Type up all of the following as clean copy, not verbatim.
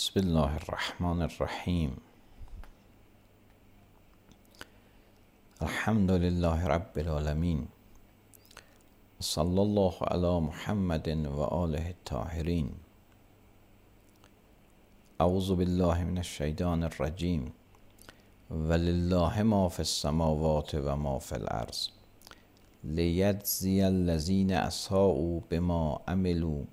بسم الله الرحمن الرحیم. الحمد لله رب العالمین. صلی الله علی محمد و آله الطاهرین. اعوذ بالله من الشیطان الرجیم. ولله ما فی السماوات و ما فی الارض لیجزی الذین اساءوا بما عملوا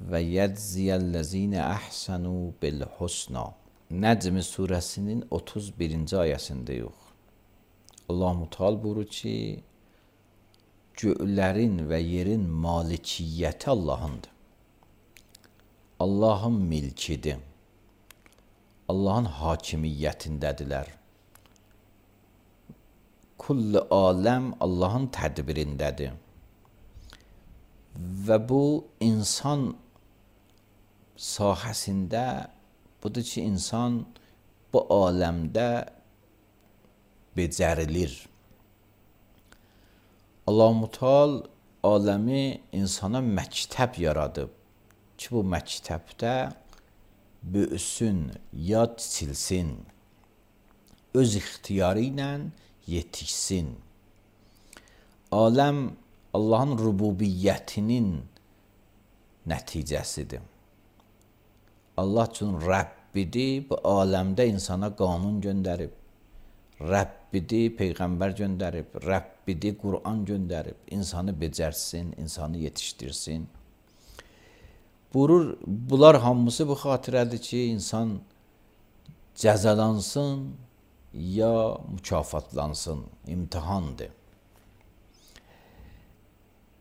və yəcziyə ləzinə əhsənu bil husna. Nəcm surəsinin 31-ci ayəsindəyik. Allah-u Teala buyurur ki, göylərin və yerin malikiyyəti Allahındır. Allahın milkidir. Allahın hakimiyyətindədirlər. Kulli aləm Allahın tədbirindədir. Və bu insan sahəsində budur ki, insan bu aləmdə becərilir. Allah-u Teala aləmi insana məktəb yaradıb ki, bu məktəbdə böyüsün, yad çilsin, öz ixtiyarı ilə yetişsin. Aləm Allahın rububiyyətinin nəticəsidir. Allah üçün Rəbbidir, bu aləmdə insana qanun göndərib. Rəbbidir, Peyğəmbər göndərib. Rəbbidir, Qur'an göndərib. İnsanı becərsin, insanı yetişdirsin. Buyurur, bunlar hamısı bu xatirədir ki, insan cəzalansın ya mükafatlansın. İmtihandır.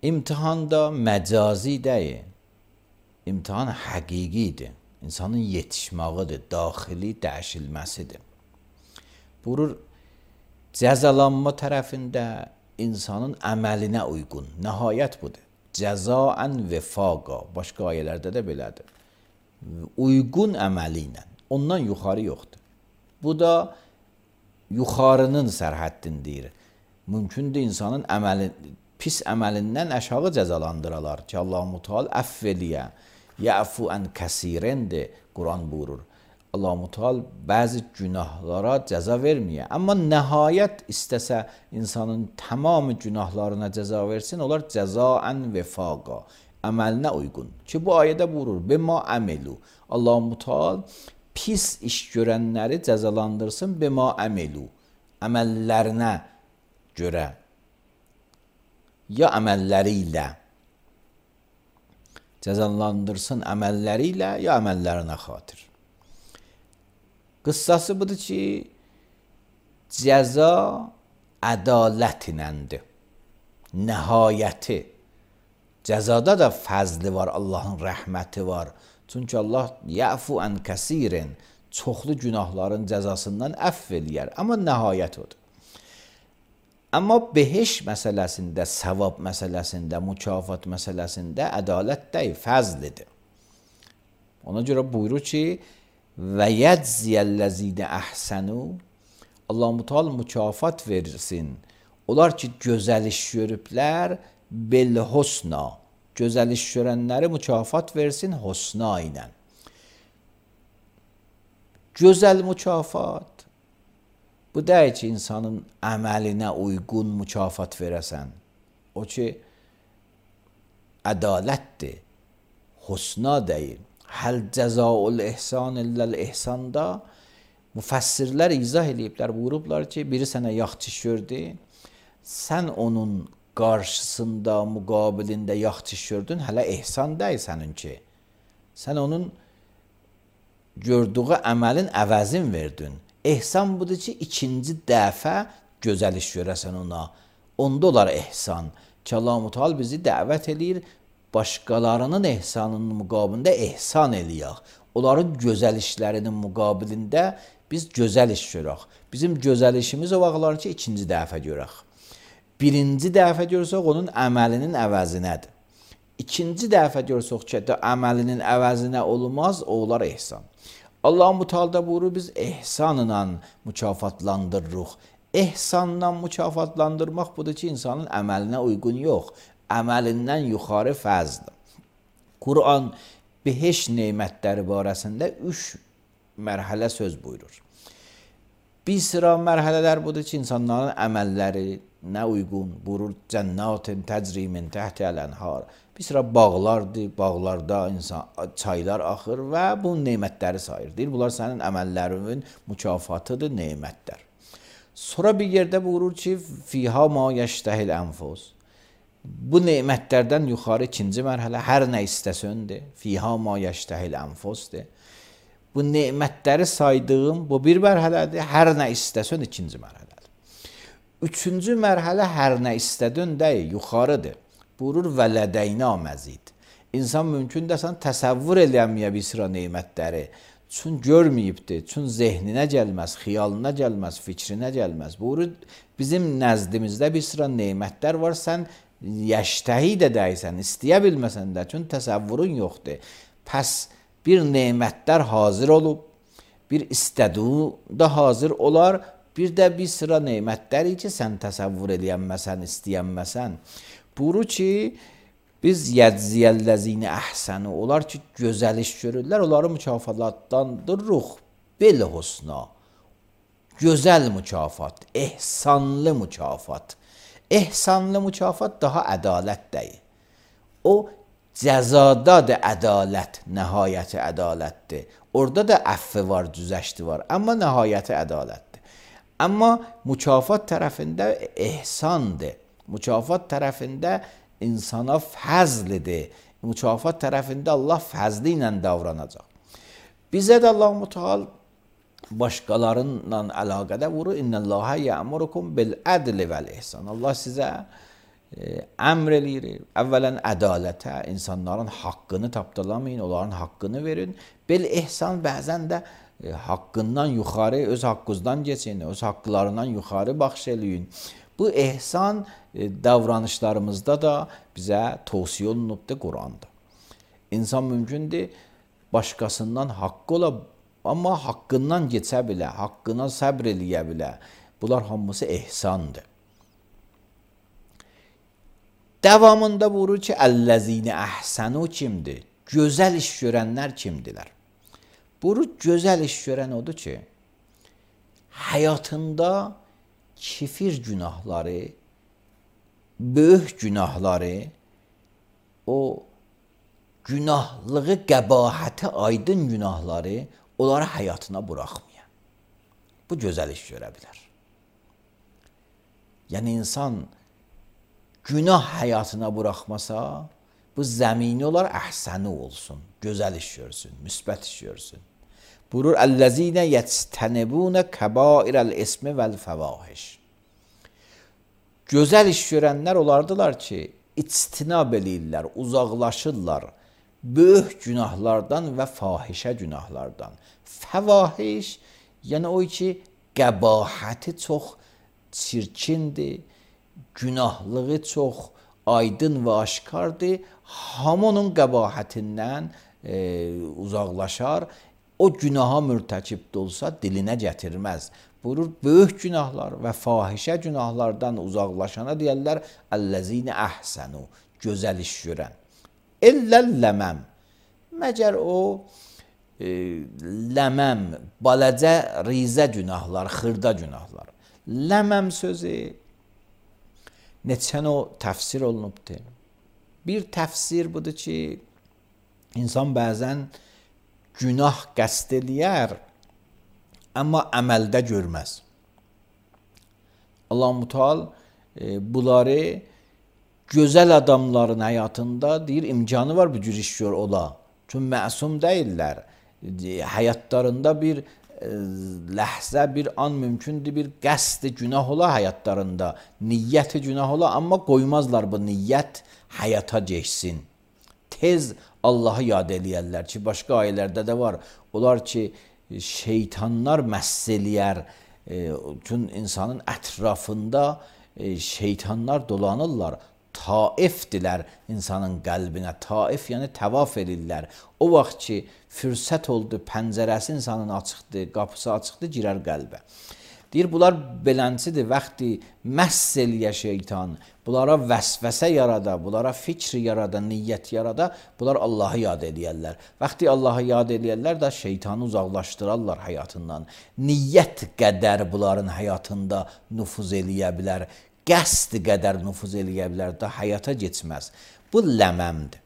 İmtihan da məcazi deyil. İmtihan həqiqidir. İnsanın yetişməğidir, daxili dəyişilməsidir. Buyurur, cəzalanma tərəfində insanın əməlinə uyğun. Nəhayət budur. Cəzaən vəfaqa. Başqa ayələrdə də belədir. Uyğun əməli ilə. Ondan yuxarı yoxdur. Bu da yuxarının sərhəddindir. Mümkündür insanın pis əməlindən aşağı cəzalandıralar ki, Allah-u Teala əff eləyə, yəfu ən kəsirəndir, Quran buyurur. Allah-u Teala bəzi günahlara cəza verməyə, amma nəhayət istəsə insanın tamamı günahlarına cəza versin, onlar cəzaən vəfaqa, əməlinə uyğun. Ki, bu ayədə buyurur, bima əmelu. Allah-u Teala pis iş görənləri cəzalandırsın, bima əmelu, əməllərinə görə. Ya əməlləri ilə cəzalandırsın, əməlləri ilə ya əməllərinə xatir. Qıssası budur ki, cəza ədalət iləndir. Nəhayəti. Cəzada da fəzli var, Allahın rəhməti var. Çünki Allah yəfu ən kəsirin, çoxlu günahların cəzasından əff eləyər. Amma nəhayət odur. Amma beheş məsələsində, savab məsələsində, mükafat məsələsində ədalət deyil, fəzlidir. Ona görə buyurur ki, və yəcziyəl-ləzinə əhsənu, Allah-u Teala mükafat versin. Onlar ki, gözəl iş görüblər, bil-husna, gözəl iş görənləri mükafat versin husna ilə. Gözəl mükafat, bu deyil ki, insanın əməlinə uyğun mükafat verəsən. O ki, ədalətdir, husna deyil. Həl cəzaul ihsan illəl ihsanda Müfəssirlər izah eləyiblər, buyurublar ki, biri sənə yaxşı iş gördü, sən onun qarşısında, müqabilində yaxşı iş gördün, hələ ehsan deyil səninki. Sən onun gördüyü əməlin əvəzin verdin. Ehsan budur ki, ikinci dəfə gözəl iş görəsən ona. Onda olar ehsan. Ki Allah-u Teala bizi dəvət eləyir, başqalarının ehsanının müqabilində ehsan eləyək. Onların gözəl işlərinin müqabilində biz gözəl iş görək. Bizim gözəl işimiz o vaxtlar ki, ikinci dəfə görək. Birinci dəfə görsək, onun əməlinin əvəzinədir. İkinci dəfə görsək ki, əməlinin əvəzinə olmaz, o olar ehsan. Allah-u Teala buyurur, biz ehsanla mükafatlandırırıq. Ehsanla mükafatlandırmaq budur ki, insanın əməlinə uyğun yox, əməlindən yuxarı fəzdir. Quran beheş nemətləri barəsində 3 mərhələ söz buyurur. Bir sıra mərhələlər budur ki, insanların əməllərinə uyğun buyurur. Cənnətin təcri min təhtihəl ənhar. Bir sıra bağlardır, bağlarda çaylar axır və bu nemətləri sayır. Deyir, bunlar sənin əməllərinin mükafatıdır, nemətlər. Sonra bir yerdə buyurur ki, fiha ma yəştəhil ənfus. Bu nemətlərdən yuxarı ikinci mərhələ hər nə istəsöndür. Fiha ma yəştəhil ənfusdur. Bu nemətləri saydığım bu bir mərhələdir. Hər nə istəsən ikinci mərhələdir. Üçüncü mərhələ hər nə istədin deyil, yuxarıdır. Buyurur və lədəynə məzid. İnsan mümkün desən təsəvvür eləməyə bir sıra nemətləri. Çün görməyibdir, çün zehninə gəlməz, xiyalına gəlməz, fikrinə gəlməz. Buyurur, bizim nəzdimizdə bir sıra nemətlər var, sən yəştəhi də deysən, istəyə bilməsən də, çün təsəvvürün yoxdur. Pəs bir nemətlər hazır olub, bir istədiyi də hazır olar, bir də bir sıra nemətləri ki, sən təsəvvür eləyənməsən, istəyənməsən. Buyurur ki, biz yəcziyəlləzini əhsəni, onlar ki, gözəl iş görürlər, onları mükafatlandırırıq bilhusna. Gözəl mükafat, ehsanlı mükafat. Ehsanlı mükafat daha ədalət deyil. O, cəzadadır ədalət, nəhayəti ədalətdir. Orada da əffi var, düzəşti var, amma nəhayəti ədalətdir. Amma mükafat tərəfində ehsandır. Mükafat tərəfində insana fəzlidir. Mükafat tərəfində Allah fəzli ilə davranacaq. Bizə də Allah-u Teala başqalarınla əlaqədə vurur. İnnəllâhə yə'murukum bil-ədli vəl-ihsan. Allah sizə əmr eləyir. Əvvələn ədalətə, insanların haqqını tapdalamayın, onların haqqını verin. Bil-ihsan bəzən də haqqından yuxarı, öz haqqınızdan geçin, öz haqqlarından yuxarı baxş eləyin. Bu ehsan davranışlarımızda da bizə tövsiyə olunubdur Quranda. İnsan mümkündür başqasından haqqı ola, amma haqqından keçə bilə, haqqına səbr eləyə bilə. Bunlar hamısı ehsandır. Davamında buyurur ki, əlləzini əhsənu kimdir? Gözəl iş görənlər kimdirlər? Buyurur, gözəl iş görən odur ki, həyatında kifir günahları, böyük günahları, o günahlığı, qəbahəti aydın günahları onları həyatına buraxmaya. Bu gözəl iş görə bilər. Yəni insan günah həyatına buraxmasa, bu zəmini olar əhsəni olsun, gözəl iş görsün, müsbət iş görsün. Buyurur, əl-ləzinə yəctənibunə kəbairəl-ismi vəl-fəvahiş. Gözəl iş görənlər olardılar ki, içtinab eləyirlər, uzaqlaşırlar böyük günahlardan və fahişə günahlardan. Fəvahiş, yəni o ki, qəbahəti çox çirkindir, günahlığı çox aydın və aşkardır, hamının qəbahətindən uzaqlaşar, o günaha mürtəkib olsa dilinə gətirməz. Buyurur, böyük günahlar və fahişə günahlardan uzaqlaşana deyərlər, əlləzinə əhsənu, gözəl iş görən. Əlləl-ləməm, məgər o ləməm, balacə, rizə günahlar, xırda günahlar. Ləməm sözü neçən o təfsir olunubdur. Bir təfsir budur ki, insan bəzən günah qəsd eləyər, amma əməldə görməz. Allah Müteal bunları gözəl adamların həyatında deyir imkanı var bu cür iş gör ola. Çünki məsum deyirlər. Həyatlarında bir ləhzə, bir an mümkündür, bir qəsd günah ola həyatlarında, niyyəti günah ola, amma qoymazlar bu niyyət həyata geçsin. Tez Allahı yad eləyərlər ki, başqa ayələrdə də var. Onlar ki, şeytanlar məhz eləyər. Çünki insanın ətrafında şeytanlar dolanırlar. Taifdirlər insanın qəlbinə. Taif yəni təvaf edirlər. O vaxt ki, fürsət oldu, pəncərəsi insanın açıqdır, qapısı açıqdır, girər qəlbə. Deyir, bunlar beləncidir, vaxtı məhz eləyə şeytan, bunlara vəsvəsə yarada, bunlara fikri yarada, niyyət yarada, bunlar Allahı yad eləyərlər. Vaxtı Allahı yad eləyərlər də şeytanı uzaqlaşdırarlar həyatından. Niyyət qədər bunların həyatında nüfuz eləyə bilər. Qəsd qədər nüfuz eləyə bilər də həyata geçməz. Bu ləməmdir.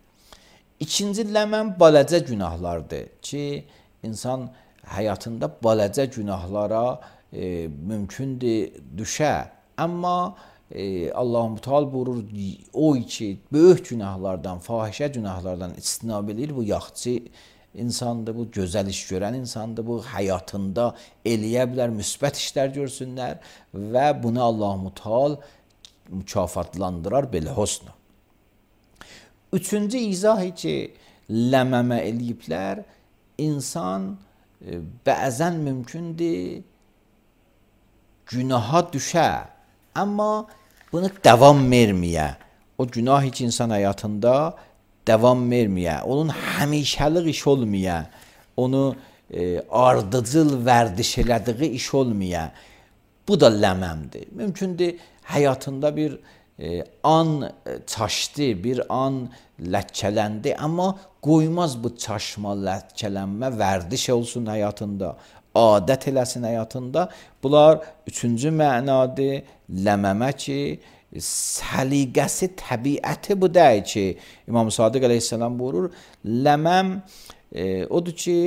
İkinci ləməm balacə günahlardır ki, insan həyatında balacə günahlara mümkündür düşə. Amma Allah Müteal buyurur, o ki, böyük günahlardan, fahişə günahlardan istinab edir, bu yaxçı insandır, bu gözəl iş görən insandır, bu həyatında eləyə bilər, müsbət işlər görsünlər və bunu Allah Müteal mükafatlandırar belə husna. Üçüncü izahı ki, ləməmə eləyiblər, insan bəzən mümkündür günaha düşə, amma bunu davam verməyə. O günah ki, insan həyatında davam verməyə, onun həmişəlik iş olmaya, onu ardıcıl vərdiş elədiyi iş olmaya. Bu da ləməmdir. Mümkündür həyatında bir an çaşdı, bir an ləkkələndi, amma qoymaz bu çaşma, ləkkələnmə vərdiş olsun həyatında, adət eləsin həyatında. Bunlar üçüncü mənadır, ləməmə ki, səliqəsi, təbiəti bu deyil ki, İmam Sadiq əleyhissalam buyurur, ləməm odur ki,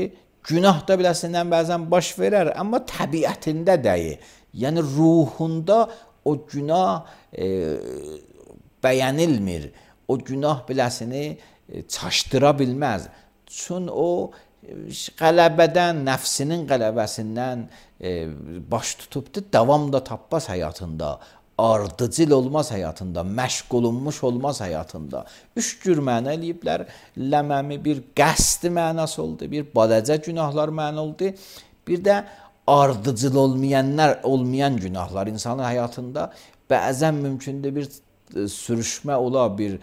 günahda biləsindən bəzən baş verər, amma təbiətində deyil. Yəni ruhunda o günah bəyənilmir, o günah biləsini çaşdıra bilməz. Çünki o qələbədən, nəfsinin qələbəsindən baş tutubdur, davam da tapmaz həyatında. Ardıcıl olmaz həyatında, məşq olunmuş olmaz həyatında. Üç cür məna eləyiblər. Ləməmi bir qəsd mənası oldu, bir balacə günahlar məna oldu, bir də ardıcıl olmayan günahlar. İnsanın həyatında bəzən mümkündür bir sürüşmə ola, bir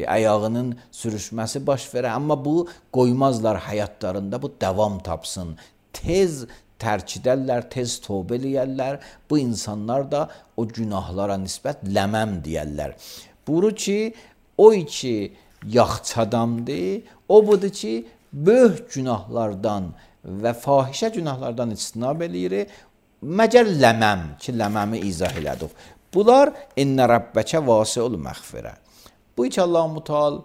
ayağının sürüşməsi baş verər, amma bu qoymazlar həyatlarında, bu davam tapsın. Tez tərk edərlər, tez tövbə eləyərlər. Bu insanlar da o günahlara nisbət ləməm deyərlər. Buyurur ki, o ki yaxçı adamdır, o budur ki, böyük günahlardan və fahişə günahlardan istinab eləyir, məgər ləməm ki, ləməmi izah elədik. Bunlar innə Rabbəkə vasiul məğfirə. Bu ki, Allah Müteal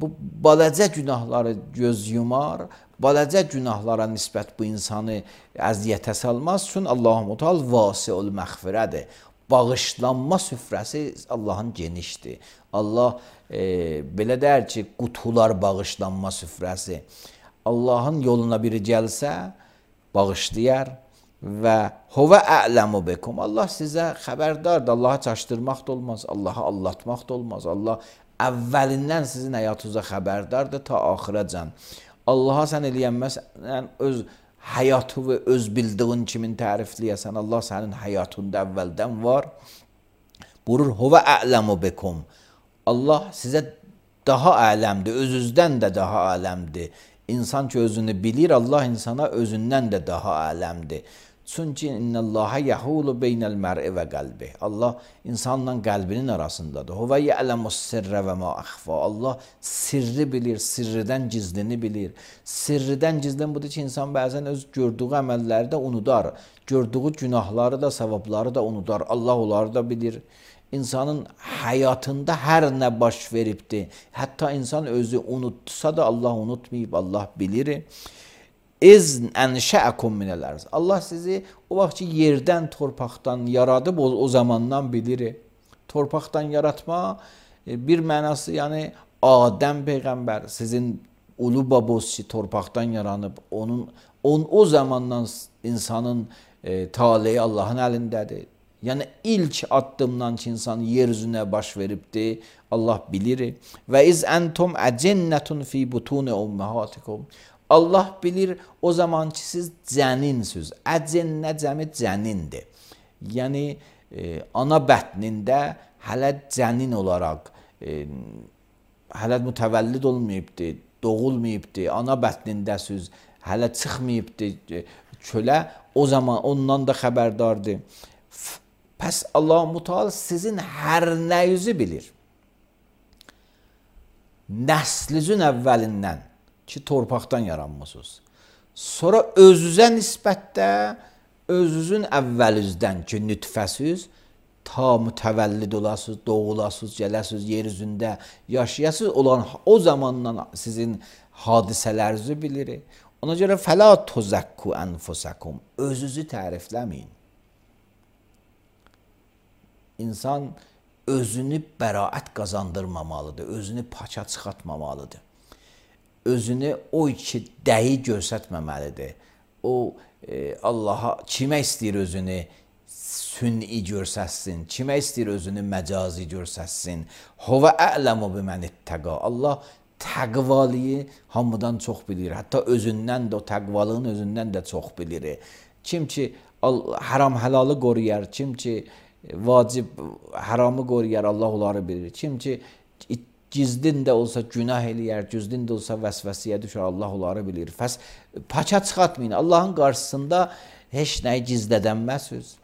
bu balacə günahları göz yumar, balacə günahlara nisbət bu insanı əziyyətə salmaz. Çünki Allah Müteal vasiul məğfirədir. Bağışlanma süfrəsi Allahın genişdir. Allah belə deyər ki, qutular bağışlanma süfrəsi. Allahın yoluna biri gəlsə, bağışlayar və huvə a'ləmu bikum. Allah sizə xəbərdardır. Allahı çaşdırmaq da olmaz, Allahı allatmaq da olmaz. Allah əvvəlindən sizin həyatınıza xəbərdardır ta axıracan. Allaha sən eləyənməsən öz həyatı və öz bildiğin kimin tərifləyəsən, Allah sənin həyatında əvvəldən var. Buyurur, huvə a'ləmu bikum. Allah sizə daha aləmdir, özünüzdən də daha aləmdir. İnsan ki özünü bilir, Allah insana özündən də daha aləmdir. Çünki innəlləhə yəhulu beynəl mər'i və qəlbi. Allah insanla qəlbinin arasındadır. Huvə ya'ləmus sirrə və ma əxfa. Allah sirri bilir, sirridən gizlini bilir. Sirridən gizlin budur ki, insan bəzən öz gördüyü əməlləri də unudar. Gördüyü günahları da, savabları da unudar. Allah onları da bilir. İnsanın həyatında hər nə baş veribdir. Hətta insan özü unutsa da Allah unutmayıb, Allah bilir. İz enşəəkum minəl arz. Allah sizi o vaxt ki yerdən, torpaqdan yaradıb o zamandan bilir. Torpaqdan yaratma bir mənası, yəni Adəm peyğəmbər sizin ulu babos ki torpaqdan yaranıb, o zamandan insanın taleyi Allahın əlindədir. Yəni ilk addımdan ki insan yer üzünə baş veribdir, Allah bilir. Və iz entum əcennətun fi butun ummahatikum. Allah bilir o zaman ki siz cəninsiniz. Əcennə cəmi cənindir. Yəni ana bətnində hələ cənin olaraq hələ mütəvəllid olmayıbdır, doğulmayıbdır, ana bətnindəsiz, hələ çıxmayıbdır çölə, o zaman ondan da xəbərdardır. Pəs Allah Müteala sizin hər nəyinizi bilir. Nəslinizin əvvəlindən ki torpaqdan yaranmısınız. Sonra özünüzə nisbətdə özünüzün əvvəlinizdən ki nütfəsiz ta mütəvəllid olasınız, doğulasınız, gələsiniz, yer üzündə yaşayasınız olan o zamandan sizin hadisələrinizi bilir. Ona görə fəla tuzakku enfusakum. Özünüzü tərifləməyin. İnsan özünü bəraət qazandırmamalıdır, özünü paça çıxartmamalıdır. Özünü o iki dəyi göstərməməlidir. O Allaha kimə istəyir özünü sünni göstərsin, kimə istəyir özünü məcazi göstərsin. Huve a'lemu bimen ittaqa. Allah təqvalıyı hamıdan çox bilir. Hətta özündən də o təqvalığın özündən də çox bilir. Kim ki haram halalı qoruyar, kim ki vacib haramı qoruyar, Allah onları bilir. Kim ki gizdin də olsa günah eləyər, gizdin də olsa vəsvəsiyə düşər, Allah onları bilir. Paça çıxartmayın. Allahın qarşısında heç nəyi gizlədənməsiniz.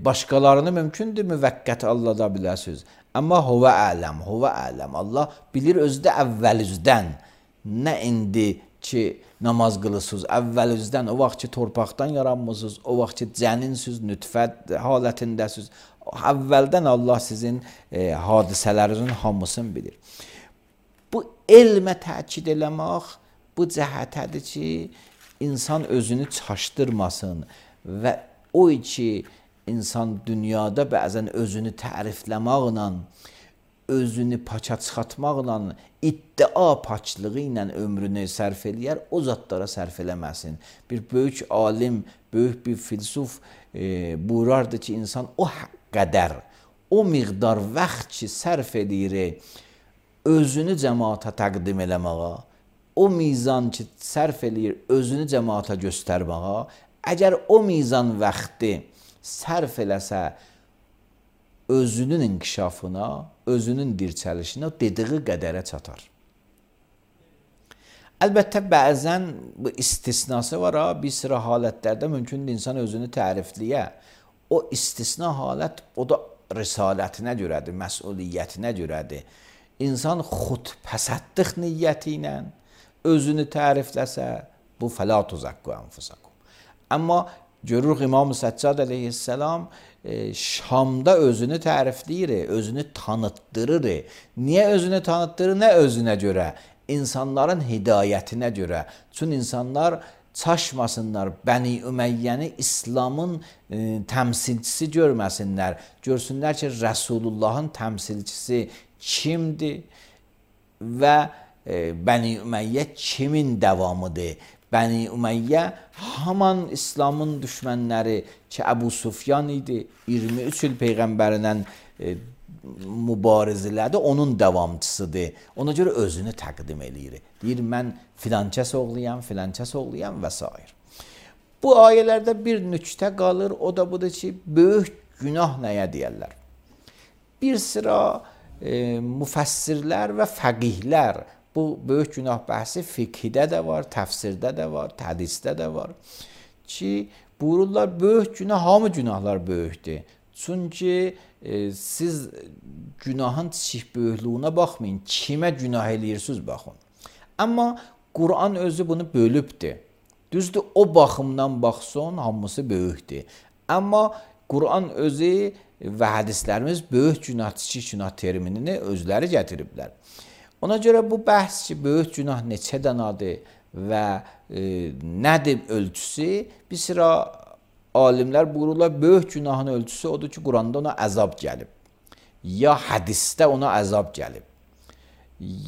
Başqalarını mümkündür müvəqqət allada biləsiniz. Amma huve aləm, huve aləm. Allah bilir özü də əvvəlinizdən. Nə indi ki namaz qılısınız, əvvəlinizdən, o vaxt ki torpaqdan yaranmısınız, o vaxt ki cəninsiniz, nütfət halətindəsiniz. Əvvəldən Allah sizin hadisələrinizin hamısını bilir. Bu elmə təkid eləmək bu cəhətədir ki, insan özünü çaşdırmasın və o ki insan dünyada bəzən özünü tərifləməklə, özünü paça çıxartmaqla, iddia paçlığı ilə ömrünü sərf eləyər, o zatlara sərf eləməsin. Bir böyük alim, böyük bir filsuf buyurardı ki, insan o qədər, o miqdar vaxt ki sərf edir özünü cəmaata təqdim eləməyə, o mizan ki sərf eləyir özünü cəmaata göstərməyə, əgər o mizan vaxtı sərf eləsə özünün inkişafına, özünün dirçəlişinə dediği qədərə çatar. Əlbəttə bəzən bu istisnası var, bir sıra halətlərdə mümkündür insan özünü tərifləyə. O istisna halət, o da risalətinə görədir, məsuliyyətinə görədir. İnsan xudpəsəddlik niyyəti ilə özünü tərifləsə, bu fəla tuzakku enfusakum. Amma görürük İmam Səccad əleyhissalam Şamda özünü tərifləyir, özünü tanıtdırır. Niyə özünü tanıtdırır? Nə özünə görə? İnsanların hidayətinə görə. Çünki insanlar çaşmasınlar, Bəni Üməyyəni İslamın təmsilçisi görməsinlər. Görsünlər ki, Rəsulullahın təmsilçisi kimdir və Bəni Üməyyə kimin davamıdır? Bəni Üməyyə haman İslamın düşmənləri ki, Əbu Sufyan idi, 23 il Peyğəmbərindən mübarizələrdə onun davamçısıdır. Ona görə özünü təqdim eləyir. Deyir, mən filankəs oğluyam, filankəs oğluyam və s. Bu ayələrdə bir nüktə qalır, o da budur ki, böyük günah nəyə deyərlər? Bir sıra müfəssirlər və fəqihlər, bu böyük günah bəhsi fiqhidə də var, təfsirdə də var, hədisdə də var ki, buyururlar, böyük günah, hamı günahlar böyükdür. Çünki siz günahın kiçik böyüklüyünə baxmayın, kimə günah eləyirsiniz baxın. Amma Quran özü bunu bölübdür. Düzdür, o baxımdan baxsın, hamısı böyükdür. Amma Quran özü və hədislərimiz böyük günah, kiçik günah terminini özləri gətiriblər. Ona görə bu bəhs ki, böyük günah neçə dənədir və nədir ölçüsü? Bir sıra alimlər buyururlar, böyük günahın ölçüsü odur ki, Quranda ona əzab gəlib. Ya hədisdə ona əzab gəlib.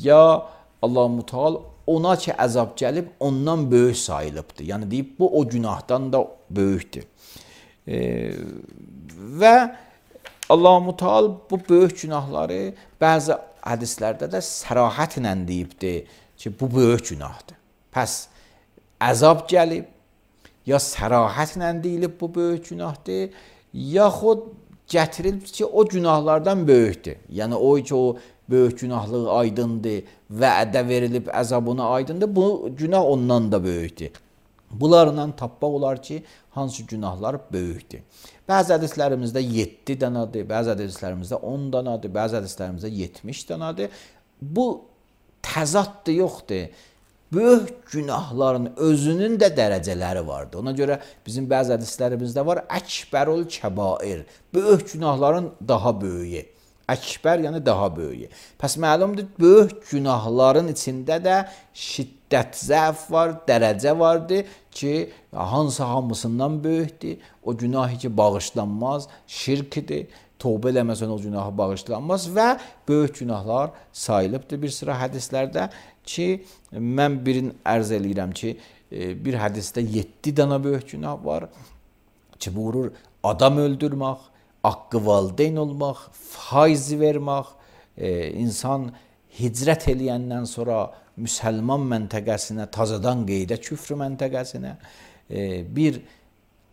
Ya Allah-u Teala ona ki əzab gəlib, ondan böyük sayılıbdır. Yəni deyib, bu o günahdan da böyükdür. Və Allah-u Teala bu böyük günahları bəzi hədislərdə də sərahətlə deyibdir ki, bu böyük günahdır. Pəs əzab gəlib, ya sərahətlə deyilib bu böyük günahdır, yaxud gətirilib ki, o günahlardan böyükdür. Yəni o ki, o böyük günahlığı aydındır, vədə verilib əzabına aydındır, bu günah ondan da böyükdür. Bunlarla tapmaq olar ki, hansı günahlar böyükdür. Bəzi hədislərimizdə 7 dənədir, bəzi hədislərimizdə 10 dənədir, bəzi hədislərimizdə 70 dənədir. Bu təzaddır, yoxdur. Böyük günahların özünün də dərəcələri vardır. Ona görə bizim bəzi hədislərimizdə var, əkbərul kəbair, böyük günahların daha böyüyü. Əkbər, yəni daha böyüyü. Pəs məlumdur, böyük günahların içində də şiddət, zəf var, dərəcə vardır ki, hansı hamısından böyükdür. O günahı ki, bağışlanmaz, şirkdir. Tövbə eləməsən o günahı bağışlanmaz və böyük günahlar sayılıbdır. Bir sıra hədislərdə ki, mən birini ərz eləyirəm ki, bir hədisdə 7 dənə böyük günah var ki, buyurur, adam öldürmək, haqqı valideyn olmaq, faiz vermək, insan hicrət eləyəndən sonra müsəlman məntəqəsinə, tazadan qeydə küfr məntəqəsinə, bir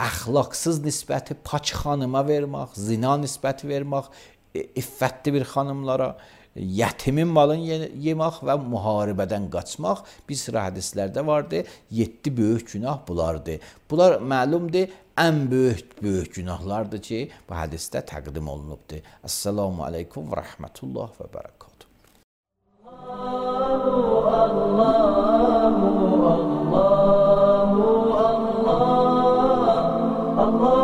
əxlaqsız nisbəti paç xanıma vermək, zina nisbəti vermək, iffətli bir xanımlara, yətimin malını yemək və müharibədən qaçmaq bir sıra hədislərdə vardır. 7 böyük günah bunlardır. Bunlar məlumdur, ən böyük günahlardır ki, bu hədisdə təqdim olunubdur. Əssalamu aleykum və rəhmətullah və bərəkatuhu. Allah